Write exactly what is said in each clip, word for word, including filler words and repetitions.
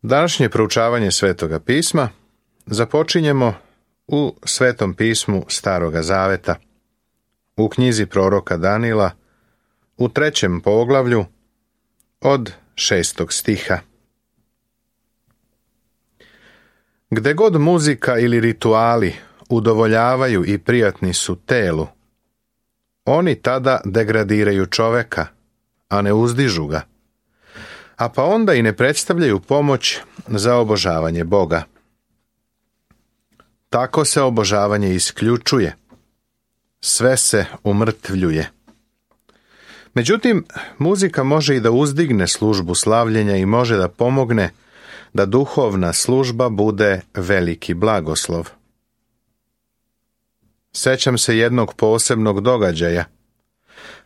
Današnje proučavanje Svetoga pisma započinjemo u Svetom pismu Staroga Zaveta, u knjizi proroka Danila, u trećem poglavlju od šestog stiha. Gde god muzika ili rituali udovoljavaju i prijatni su telu, oni tada degradiraju čoveka, a ne uzdižu ga, a pa onda i ne predstavljaju pomoć za obožavanje Boga. Tako se obožavanje isključuje, sve se umrtvljuje. Međutim, muzika može i da uzdigne službu slavljenja i može da pomogne da duhovna služba bude veliki blagoslov. Sećam se jednog posebnog događaja,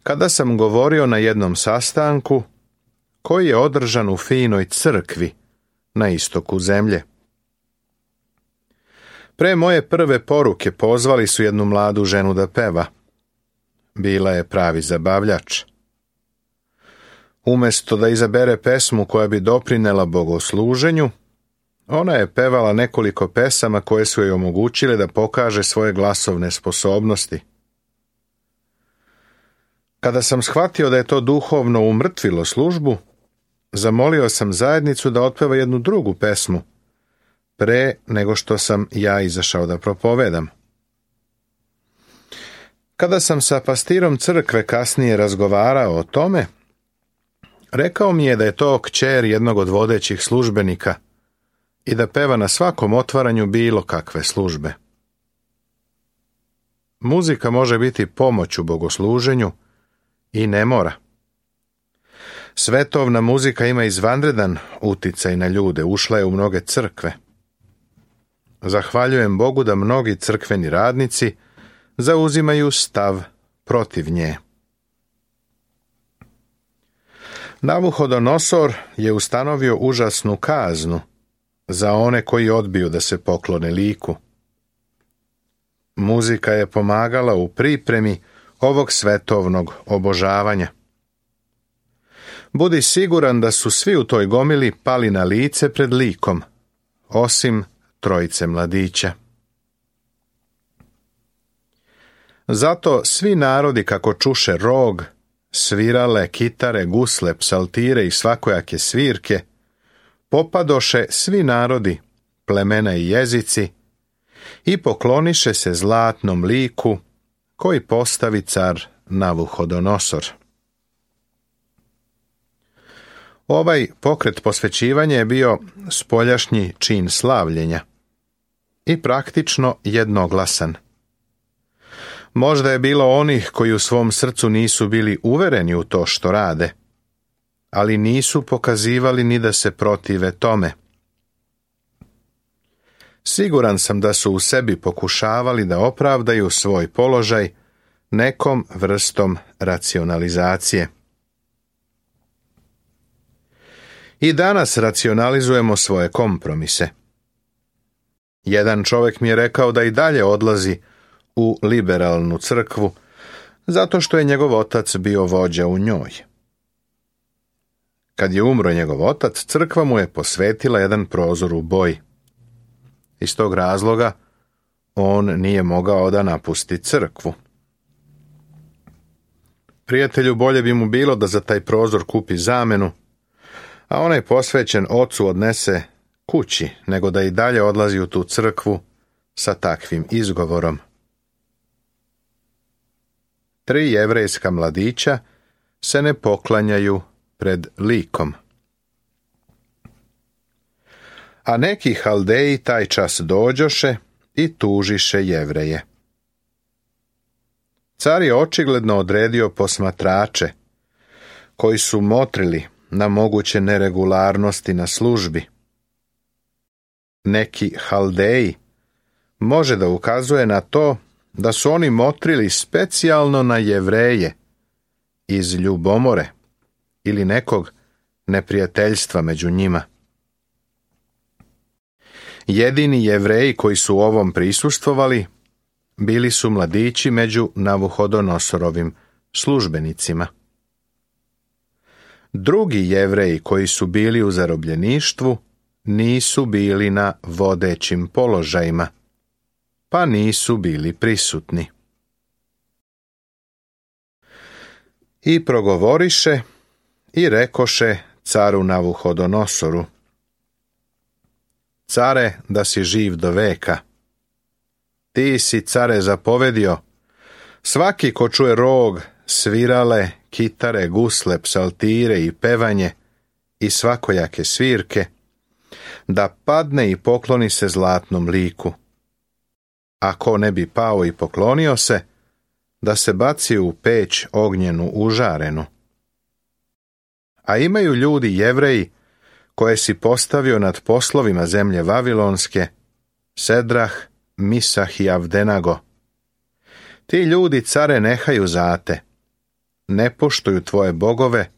kada sam govorio na jednom sastanku koji je održan u finoj crkvi na istoku zemlje. Pre moje prve poruke pozvali su jednu mladu ženu da peva. Bila je pravi zabavljač. Umesto da izabere pesmu koja bi doprinela bogosluženju, ona je pevala nekoliko pesama koje su joj omogućile da pokaže svoje glasovne sposobnosti. Kada sam shvatio da je to duhovno umrtvilo službu, zamolio sam zajednicu da otpeva jednu drugu pesmu, pre nego što sam ja izašao da propovedam. Kada sam sa pastirom crkve kasnije razgovarao o tome, rekao mi je da je to kćer jednog od vodećih službenika i da peva na svakom otvaranju bilo kakve službe. Muzika može biti pomoć u bogosluženju i ne mora. Svetovna muzika ima izvanredan uticaj na ljude, ušla je u mnoge crkve. Zahvaljujem Bogu da mnogi crkveni radnici zauzimaju stav protiv nje. Navuhodonosor je ustanovio užasnu kaznu za one koji odbiju da se poklone liku. Muzika je pomagala u pripremi ovog svetovnog obožavanja. Budi siguran da su svi u toj gomili pali na lice pred likom, osim trojice mladića. Zato svi narodi kako čuše rog, svirale, kitare, gusle, psaltire i svakojake svirke, popadoše svi narodi, plemena i jezici i pokloniše se zlatnom liku koji postavi car Navuhodonosor. Ovaj pokret posvećivanja je bio spoljašnji čin slavljenja i praktično jednoglasan. Možda je bilo onih koji u svom srcu nisu bili uvereni u to što rade, ali nisu pokazivali ni da se protive tome. Siguran sam da su u sebi pokušavali da opravdaju svoj položaj nekom vrstom racionalizacije. I danas racionalizujemo svoje kompromise. Jedan čovjek mi je rekao da i dalje odlazi u liberalnu crkvu, zato što je njegov otac bio vođa u njoj. Kad je umro njegov otac, crkva mu je posvetila jedan prozor u boji. Iz tog razloga on nije mogao da napusti crkvu. Prijatelju, bolje bi mu bilo da za taj prozor kupi zamenu, a onaj posvećen ocu odnese kući, nego da i dalje odlazi u tu crkvu sa takvim izgovorom. Tri jevrejska mladića se ne poklanjaju pred likom. A neki Haldeji taj čas dođoše i tužiše Jevreje. Car je očigledno odredio posmatrače, koji su motrili na moguće neregularnosti na službi. Neki Haldeji može da ukazuje na to da su oni motrili specijalno na Jevreje iz ljubomore ili nekog neprijateljstva među njima. Jedini Jevreji koji su u ovom prisustvovali bili su mladići među Navuhodonosorovim službenicima. Drugi Jevreji koji su bili u zarobljeništvu nisu bili na vodećim položajima, pa nisu bili prisutni. I progovoriše i rekoše caru Navuhodonosoru: Care, da si živ do veka. Ti si, care, zapovedio, svaki ko čuje rog, svirale, kitare, gusle, psaltire i pevanje i svakojake svirke, da padne i pokloni se zlatnom liku. Ako ne bi pao i poklonio se, da se baci u peć ognjenu užarenu. A imaju ljudi Jevreji, koje si postavio nad poslovima zemlje Vavilonske, Sedrah, Misah i Avdenago. Ti ljudi, care, nehaju zate, ne poštuju tvoje bogove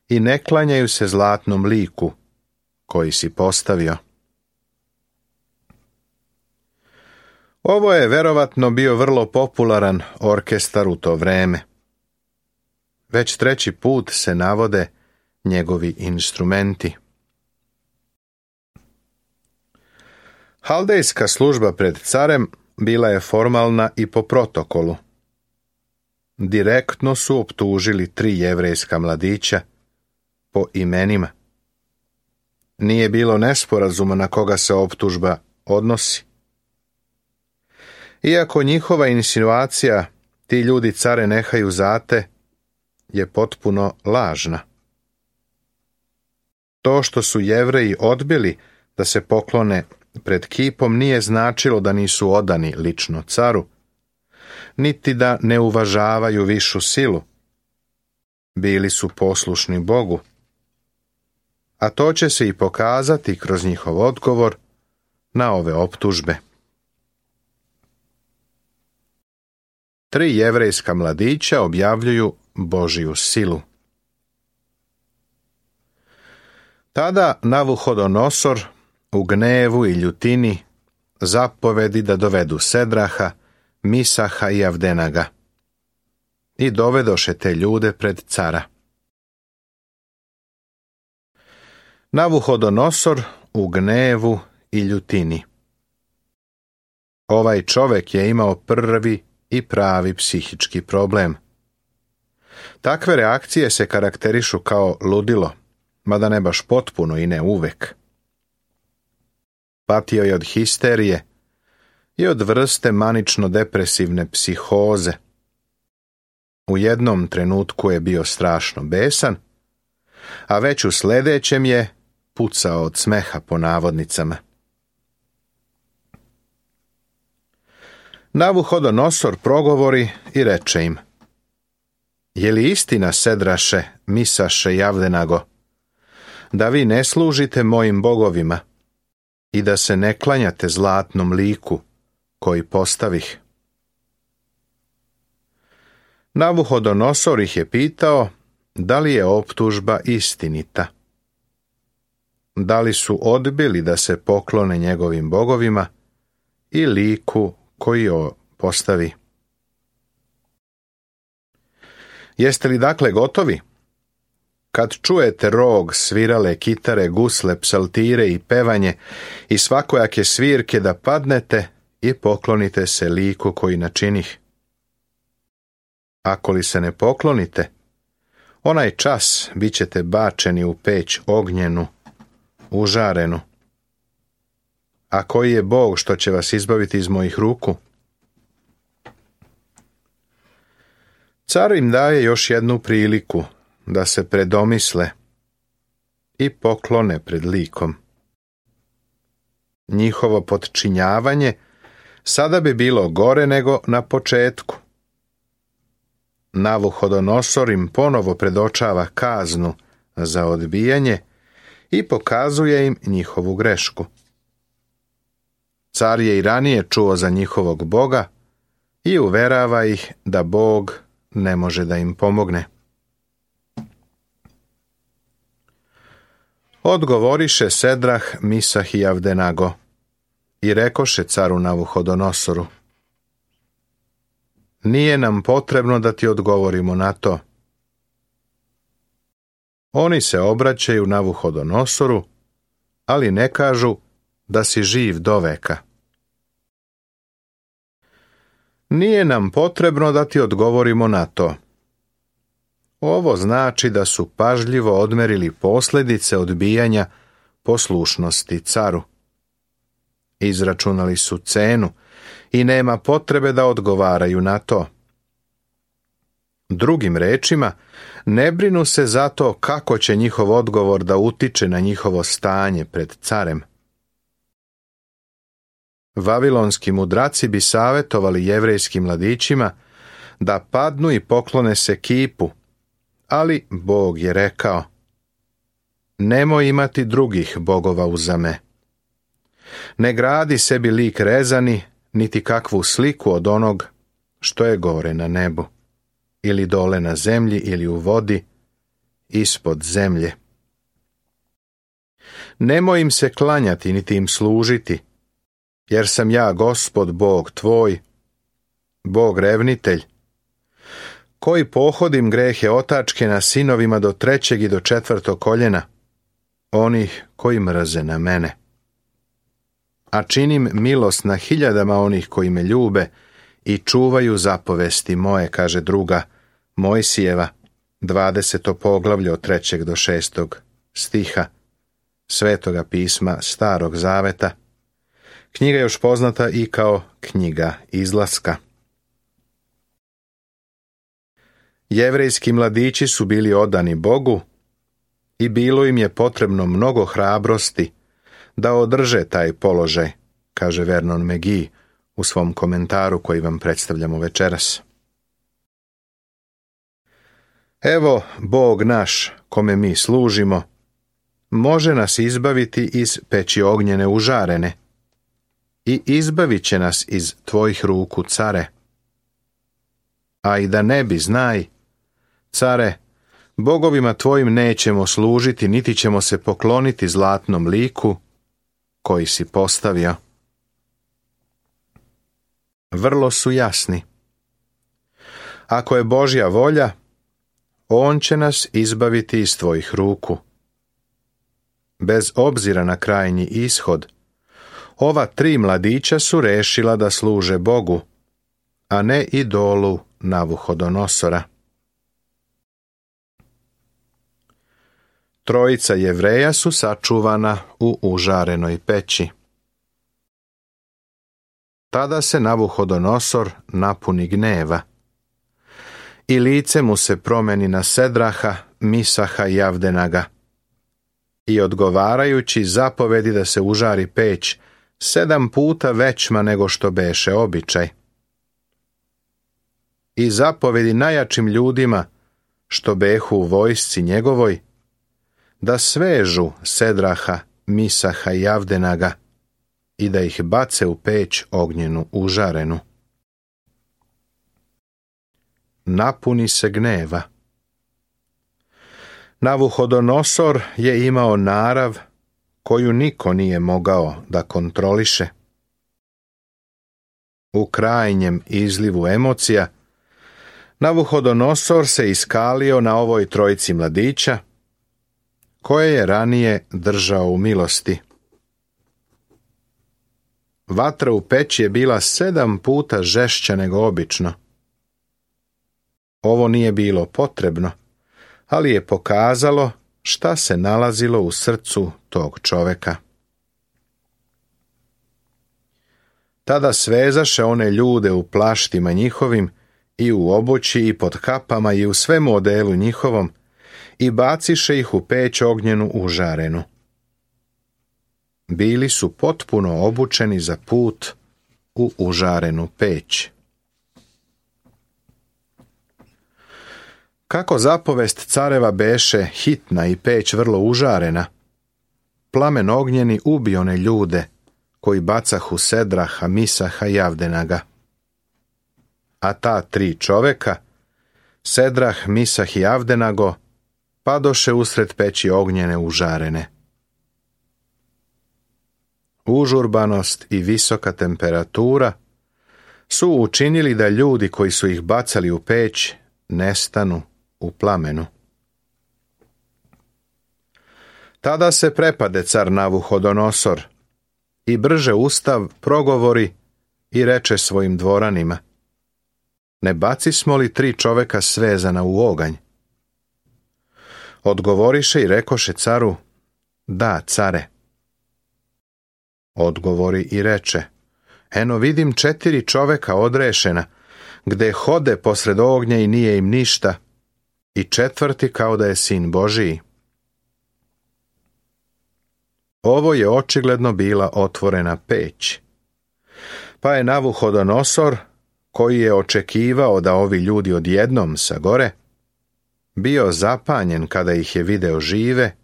i ne klanjaju se zlatnom liku koji si postavio. Ovo je verovatno bio vrlo popularan orkestar u to vreme. Već treći put se navode njegovi instrumenti. Haldejska služba pred carem bila je formalna i po protokolu. Direktno su optužili tri jevrejska mladića po imenima. Nije bilo nesporazuma na koga se optužba odnosi. Iako njihova insinuacija ti ljudi, care, nehaju zate je potpuno lažna. To što su Jevreji odbili da se poklone pred kipom nije značilo da nisu odani lično caru, niti da ne uvažavaju višu silu. Bili su poslušni Bogu. A to će se i pokazati kroz njihov odgovor na ove optužbe. Tri jevrejska mladića objavljuju Božiju silu. Tada Navuhodonosor u gnevu i ljutini zapovedi da dovedu Sedraha, Misaha i Avdenaga. I dovedoše te ljude pred cara. Navuhodonosor u gnevu i ljutini. Ovaj čovek je imao prvi i pravi psihički problem. Takve reakcije se karakterišu kao ludilo, mada ne baš potpuno i ne uvek. Patio je od histerije i od vrste manično-depresivne psihoze. U jednom trenutku je bio strašno besan, a već u sljedećem je pucao od smeha po navodnicama. Navuhodonosor progovori i reče im: Je li istina, Sedraše, Misaše i Avdenago, da vi ne služite mojim bogovima i da se ne klanjate zlatnom liku koji postavih? Navuhodonosor ih je pitao da li je optužba istinita. Da li su odbili da se poklone njegovim bogovima i liku koji jo postavi. Jeste li dakle gotovi? Kad čujete rog, svirale, kitare, gusle, psaltire i pevanje i svakojake svirke, da padnete i poklonite se liku koji načinih. Ako li se ne poklonite, onaj čas bit ćete bačeni u peć ognjenu, užarenu. A koji je Bog što će vas izbaviti iz mojih ruku? Car im daje još jednu priliku da se predomisle i poklone pred likom. Njihovo potčinjavanje sada bi bilo gore nego na početku. Navuhodonosor im ponovo predočava kaznu za odbijanje i pokazuje im njihovu grešku. Car je i ranije čuo za njihovog Boga i uverava ih da Bog ne može da im pomogne. Odgovoriše Sedrah, Misah i Avdenago i rekoše caru Navuhodonosoru: Nije nam potrebno da ti odgovorimo na to. Oni se obraćaju Navuhodonosoru, ali ne kažu da si živ doveka. Nije nam potrebno da ti odgovorimo na to. Ovo znači da su pažljivo odmerili posljedice odbijanja poslušnosti caru. Izračunali su cenu i nema potrebe da odgovaraju na to. Drugim rečima, ne brinu se za to kako će njihov odgovor da utiče na njihovo stanje pred carem. Vavilonski mudraci bi savjetovali jevrejskim mladićima da padnu i poklone se kipu, ali Bog je rekao: nemoj imati drugih bogova uza me. Ne gradi sebi lik rezani, niti kakvu sliku od onog što je gore na nebu, ili dole na zemlji, ili u vodi, ispod zemlje. Nemoj im se klanjati, niti im služiti, jer sam ja Gospod Bog tvoj, Bog revnitelj, koji pohodim grehe otačke na sinovima do trećeg i do četvrtog koljena, onih koji mrze na mene. A činim milost na hiljadama onih koji me ljube i čuvaju zapovesti moje, kaže druga Mojsijeva, dvadeseto poglavlje od trećeg do šestog stiha Svetoga pisma Starog Zaveta. Knjiga je još poznata i kao knjiga Izlaska. Jevrejski mladići su bili odani Bogu i bilo im je potrebno mnogo hrabrosti da održe taj položaj, kaže Vernon McGee u svom komentaru koji vam predstavljamo večeras. Evo Bog naš, kome mi služimo, može nas izbaviti iz peći ognjene užarene i izbavit će nas iz tvojih ruku, care. A i da ne bi, znaj, care, bogovima tvojim nećemo služiti, niti ćemo se pokloniti zlatnom liku koji si postavio. Vrlo su jasni. Ako je Božja volja, On će nas izbaviti iz tvojih ruku. Bez obzira na krajnji ishod, ova tri mladića su rešila da služe Bogu, a ne idolu Navuhodonosora. Trojica Jevreja su sačuvana u užarenoj peći. Tada se Navuhodonosor napuni gneva i lice mu se promeni na Sedraha, Misaha i Avdenaga. I odgovarajući zapovedi da se užari peć sedam puta većma nego što beše običaj. I zapovedi najjačim ljudima, što behu u vojsci njegovoj, da svežu Sedraha, Misaha i Avdenaga i da ih bace u peć ognjenu užarenu. Napuni se gneva. Navuhodonosor je imao narav koju niko nije mogao da kontroliše. U krajnjem izlivu emocija, Navuhodonosor se iskalio na ovoj trojici mladića, koje je ranije držao u milosti. Vatra u peći je bila sedam puta žešća nego obično. Ovo nije bilo potrebno, ali je pokazalo šta se nalazilo u srcu tog čoveka. Tada svezaše one ljude u plaštima njihovim i u obući i pod kapama i u svemu odelu njihovom i baciše ih u peć ognjenu užarenu. Bili su potpuno obučeni za put u užarenu peć. Kako zapovest careva beše hitna i peć vrlo užarena, plamen ognjeni ubi one ljude koji bacahu Sedraha, Misaha i Avdenaga. A ta tri čoveka, Sedrah, Misah i Avdenago, padoše usred peći ognjene užarene. Užurbanost i visoka temperatura su učinili da ljudi koji su ih bacali u peć nestanu u plamenu. Tada se prepade car Navuhodonosor i brže ustav progovori i reče svojim dvoranima: ne bacismo li tri čoveka svezana u oganj? Odgovoriše i rekoše caru: da, care. Odgovori i reče: eno vidim četiri čoveka odrešena, gde hode posred ognja i nije im ništa, i četvrti kao da je sin Božiji. Ovo je očigledno bila otvorena peć. Pa je Navuhodonosor, koji je očekivao da ovi ljudi odjednom sagore, bio zapanjen kada ih je video žive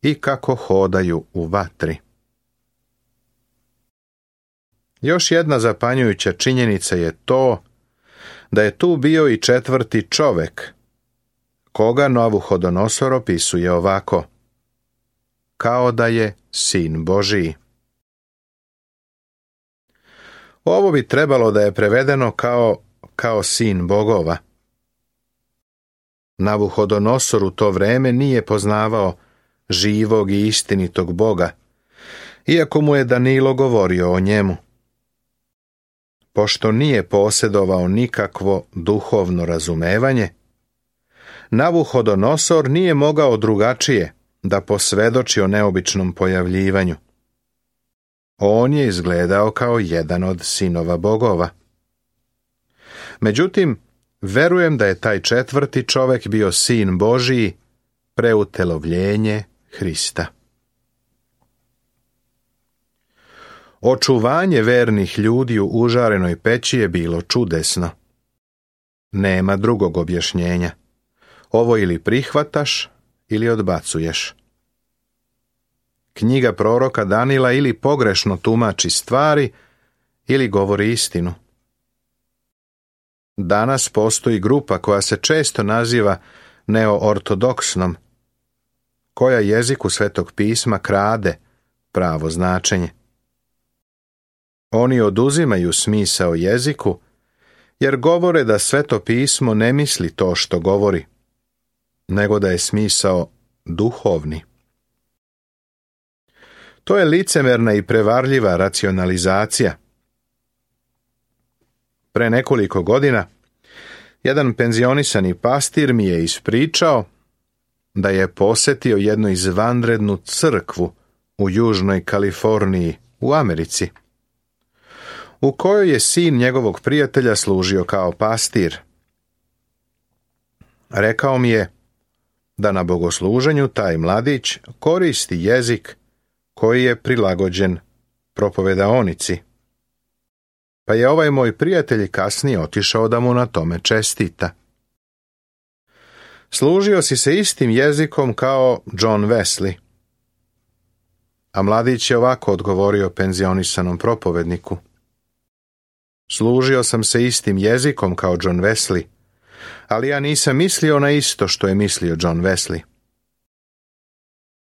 i kako hodaju u vatri. Još jedna zapanjujuća činjenica je to da je tu bio i četvrti čovek, koga Navuhodonosor opisuje ovako: kao da je sin Božiji. Ovo bi trebalo da je prevedeno kao, kao sin bogova. Navuhodonosor u to vreme nije poznavao živog i istinitog Boga, iako mu je Danilo govorio o njemu. Pošto nije posjedovao nikakvo duhovno razumevanje, Navuhodonosor nije mogao drugačije da posvedoči o neobičnom pojavljivanju. On je izgledao kao jedan od sinova bogova. Međutim, verujem da je taj četvrti čovek bio sin Božiji, preutelovljenje Hrista. Očuvanje vernih ljudi u užarenoj peći je bilo čudesno. Nema drugog objašnjenja. Ovo ili prihvataš ili odbacuješ. Knjiga proroka Danila ili pogrešno tumači stvari ili govori istinu. Danas postoji grupa koja se često naziva neoortodoksnom, koja jeziku Svetog pisma krade pravo značenje. Oni oduzimaju smisao jeziku, jer govore da Sveto pismo ne misli to što govori, nego da je smisao duhovni. To je licemerna i prevarljiva racionalizacija. Pre nekoliko godina jedan penzionisani pastir mi je ispričao da je posetio jednu izvanrednu crkvu u Južnoj Kaliforniji u Americi, u kojoj je sin njegovog prijatelja služio kao pastir. Rekao mi je da na bogosluženju taj mladić koristi jezik koji je prilagođen propovedaonici. Pa je ovaj moj prijatelj kasnije otišao da mu na tome čestita. Služio si se istim jezikom kao John Wesley. A mladić je ovako odgovorio penzionisanom propovedniku: služio sam se istim jezikom kao John Wesley, ali ja nisam mislio na isto što je mislio John Wesley.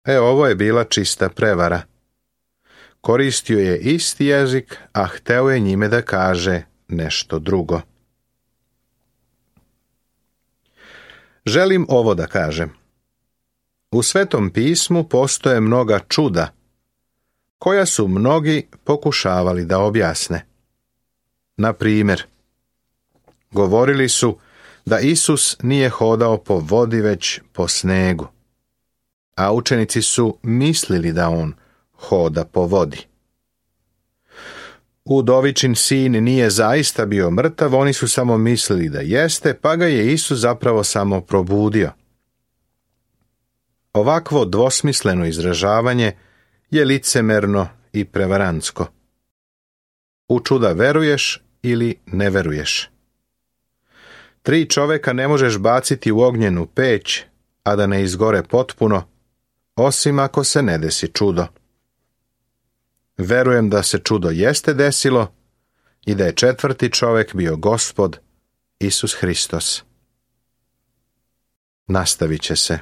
E, ovo je bila čista prevara. Koristio je isti jezik, a hteo je njime da kaže nešto drugo. Želim ovo da kažem. U Svetom pismu postoje mnoga čuda, koja su mnogi pokušavali da objasne. Na primjer, govorili su da Isus nije hodao po vodi već po snegu, a učenici su mislili da on hoda po vodi. Udovičin sin nije zaista bio mrtav, oni su samo mislili da jeste, pa ga je Isus zapravo samo probudio. Ovakvo dvosmisleno izražavanje je licemerno i prevarantsko. U čuda veruješ ili ne veruješ. Tri čoveka ne možeš baciti u ognjenu peć, a da ne izgore potpuno, osim ako se ne desi čudo. Verujem da se čudo jeste desilo i da je četvrti čovek bio Gospod Isus Hristos. Nastavit će se.